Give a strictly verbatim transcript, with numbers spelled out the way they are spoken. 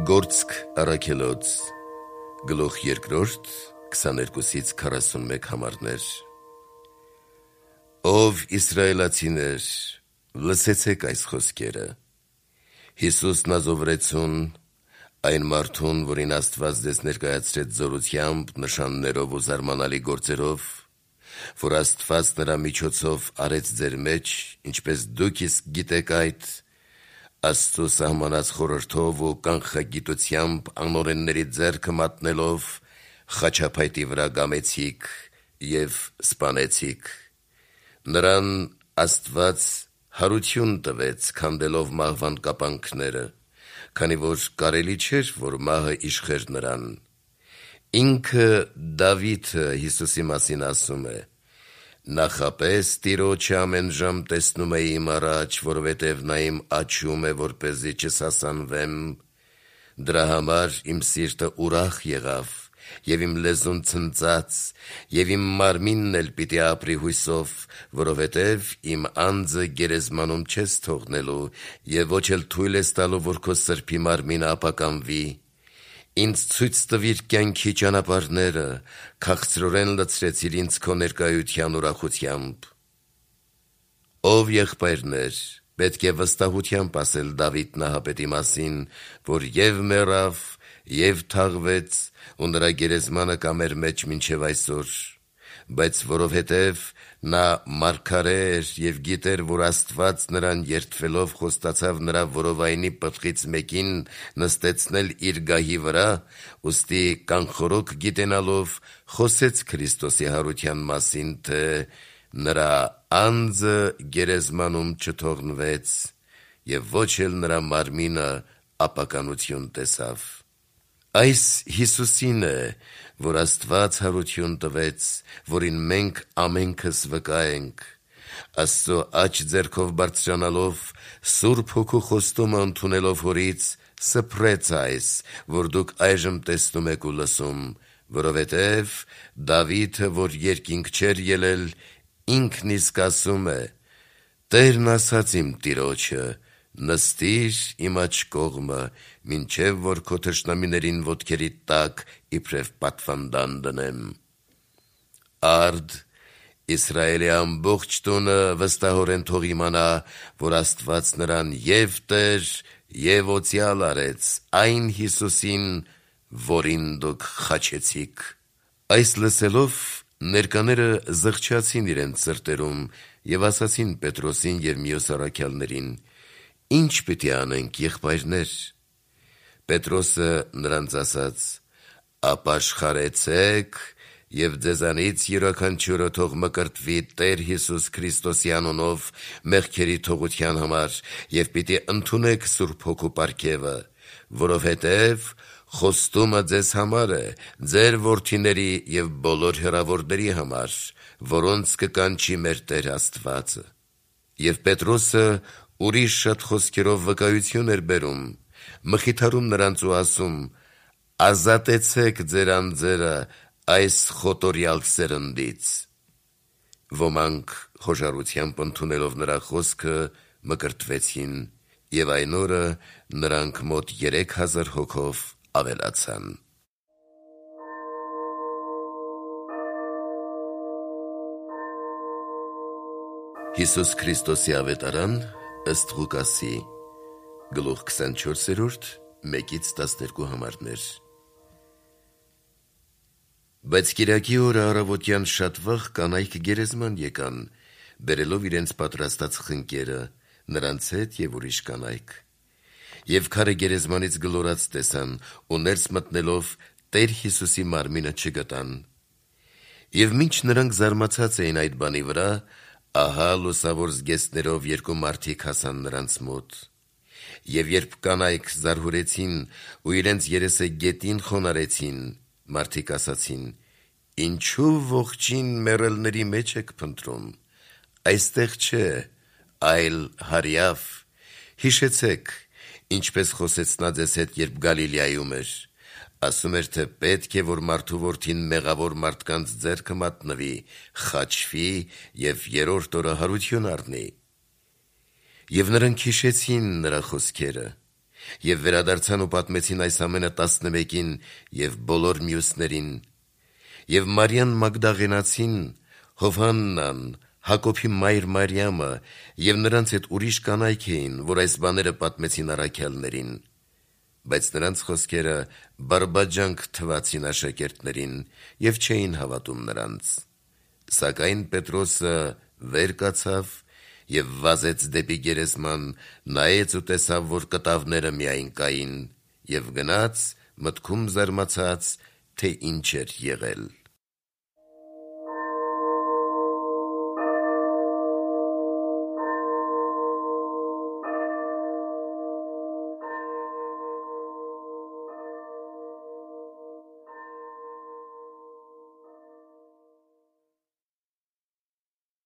Գործք առաքելոց, գլուխ երկրորդ, քսաներկուսից քառասունմեկ համարներ։ Ով իսրայելացիներ, լսեցեք այս խոսքերը։ Հիսուսն ազովրեցուն, այն մարդուն, որին Աստված ձեզ ներկայացրեց զորությամբ, նշաններով ու զարմանալի գործերով, որ Աստված նրա միջոցով արեց ձեր մեջ, ինչպես դուք իսկ գիտեք այդ, Աստծու սահմանած խորհրդով ու կանխագիտությամբ անօրենների ձեռքը մատնելով, խաչափայտի վրա գամեցիք և սպանեցիք։ Նրան Աստված հարություն տվեց, քանդելով մահվան կապանքները, քանի որ կարելի չէր, որ մահը իշխեր նրան։ Ինքը Դավիթը Հիսուսի մասին ասում է. «Նախապես Տիրոջը ամեն ժամ տեսնում էի իմ առաջ, որովհետև նա իմ աչում է, որպեսզի չսասանվեմ, դրա համար իմ սիրտը ուրախ եղավ, և իմ լեզուն ցնծաց, և իմ մարմինն էլ պիտի ապրի հույսով, որովհետև իմ անձը գերեզմանում չես թողնելու, և ոչ էլ թույլ ես տալու, որ քո սրբի մարմինը ապականվի։ Ինձ ցույց տվիր կյանքի ճանապարհները, քաղցրորեն լցրեցիր ինձ քո ներկայության ուրախությամբ»։ Ով եղբայրներ, պետք է վստահությամբ ասել Դավիթ Նահապետի մասին, որ և մեռավ, և թաղվեց, ու նրա գերեզմանը կա մեր մեջ մինչև այսօր, բայց որովհետև նա մարգարե էր և գիտեր, որ Աստված նրան երդվելով խոստացավ նրա որովայնի պտղից մեկին նստեցնել իր գահի վրա, ուստի կանխորոք գիտենալով խոսեց Քրիստոսի հարության մասին, թե նրա անձը գերեզմանում չթողնվեց, և ոչ էլ նրա մարմինը ապականություն տեսավ։ Այս Հիսուսին է, որ Աստված հարություն տվեց, որին մենք ամենքս վկա ենք, Աստծո աջ ձեռքով բարձրանալով, Սուրբ Հոգու խոստումը ընդունելով հորից, սփռեց այս, որ դուք այժմ տեսնում եք ու լսում, որովհետև Դավիթը, որ երկինք չէր ելել, ինքն իսկ ասում է. «Տերն ասաց իմ Տիրոջը. նստիր իմ աջ կողմը, մինչև որ քո թշնամիներին ոտքերիդ տակ իբրև պատվանդան դնեմ»։ Արդ Իսրայելի ամբողջ տունը վստահորեն թող իմանա, որ Աստված նրան և Տեր, և օծյալ արեց, այն Հիսուսին, որին դուք խաչեցիք։ Այս լսելով ներկաները զղջացին իրենց սրտերում և ասացին Պետրոսին և մյուս առաքյալներին. «Ի՞նչ պիտի անենք, եղբայրներ»։ Պետրոսը նրանց ասաց. «Ապաշխարեցեք և ձեզանից յուրաքանչյուրը թող մկրտվի Տեր Հիսուս Քրիստոսի անունով մեղքերի թողության համար և պիտի ընդունեք Սուրբ Հոգու պարգևը, որովհետև խոստումը ձեզ համար է, ձեր որդիների և բոլոր հեռավորների համար, որոնց կկանչի մեր Տեր Աստվածը»։ Եվ Պետրոսը ուրիշ շատ խոսքերով վկայություն էր բերում, մխիթարում նրանց ու ասում. «Ազատեցեք ձեր անձերը այս խոտորյալ սերնդից»։ Ոմանք խոժարությամբ ընդունելով նրա խոսքը մկրտվեցին, և այն օրը նրանք մոտ երեք հազար հոգով ավելացան։ Հիսուս Քրիստոսի ավետարան ըստ Ղուկասի, գլուխ քսանչորսերորդ, մեկից տասներկու համարներ։ Բայց կիրակի օրը առավոտյան շատ վաղ կանայք գերեզման եկան, բերելով իրենց պատրաստած խնկերը, նրանց հետ և ուրիշ կանայք։ Եվ քարը գերեզմանից գլորած տեսան, ու ներս մտնելով Տեր Հիսուսի մարմինը չգտան։ Եվ մինչ նրանք զարմացած էին այդ բանի վրա, ահա լուսավոր զգեստներով երկու մարդիկ հասան նրանց մոտ։ Եվ երբ կանայք զարհուրեցին ու իրենց երեսը գետին խոնարհեցին, մարդիկ ասացին. «Ինչու ողջին մեռելների մեջ եք փնտրում, այստեղ չէ, այլ հարյավ, հիշեցեք, ինչպես խոսեց նա ձեզ հետ, երբ Գալիլեայում էր, ասում էր, թե պետք է, որ մարդու որդին մեղավոր մարդկանց ձեռքը մատնվի, խաչվի և երրորդ օրը հարություն առնի»։ Եվ նրանք հիշեցին նրա խոսքերը, Եվ վերադարձան ու պատմեցին այս ամենը տասնմեկին և բոլոր մյուսներին։ Եվ Մարիան Մագդաղենացին, Հովհաննան, Հակոբի մայր Մարիամը և նրանց հետ ուրիշ կանայք էին, որ այս բաները պատմեցին առաքյալներին։ Բայց նրանց խոսքերը բարբաջանք թվացին աշակերտներին և չէին հավատում նրանց։ Սակայն Պետրոսը վեր կացավ և վազեց դեպի գերեզման, նայեց ու տեսավ, որ կտավները միայն կային, և գնաց, մտքում զարմացած, թե ինչ էր եղել։